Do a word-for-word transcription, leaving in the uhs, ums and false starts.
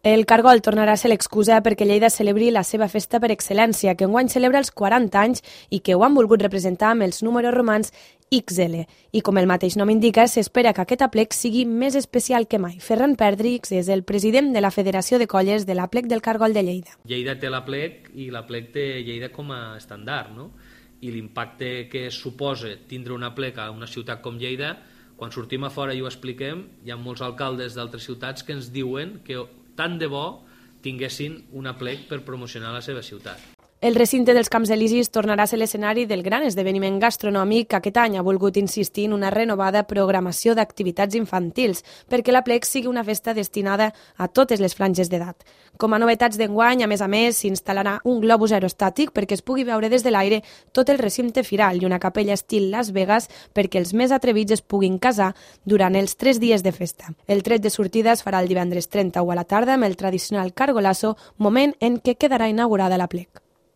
El Cargol tornarà a ser l'excusa perquè Lleida celebri la seva festa per excel·lència, que enguany celebra els quaranta anys i que ho han volgut representar amb els números romans ics ele. I com el mateix nom indica, s'espera que aquest aplec sigui més especial que mai. Ferran Perdrix és el president de la Federació de Colles de l'Aplec del Cargol de Lleida. Lleida té l'Aplec i l'Aplec té Lleida com a estàndard, no? I l'impacte que suposa tindre un aplec a una ciutat com Lleida, quan sortim a fora i ho expliquem, hi ha molts alcaldes d'altres ciutats que ens diuen que tant de bo tinguessin un aplec per promocionar la seva ciutat. El recinte dels Camps Elisis tornarà a ser l'escenari del gran esdeveniment gastronòmic que aquest any ha volgut insistir en una renovada programació d'activitats infantils perquè l'Aplec sigui una festa destinada a totes les franges d'edat. Com a novetats d'enguany, a més a més, s'instal·larà un globus aerostàtic perquè es pugui veure des de l'aire tot el recinte firal i una capella estil Las Vegas perquè els més atrevits es puguin casar durant els tres dies de festa. El tret de sortida es farà el divendres trenta a la tarda amb el tradicional cargolasso, moment en què quedarà inaugurada l'Aplec.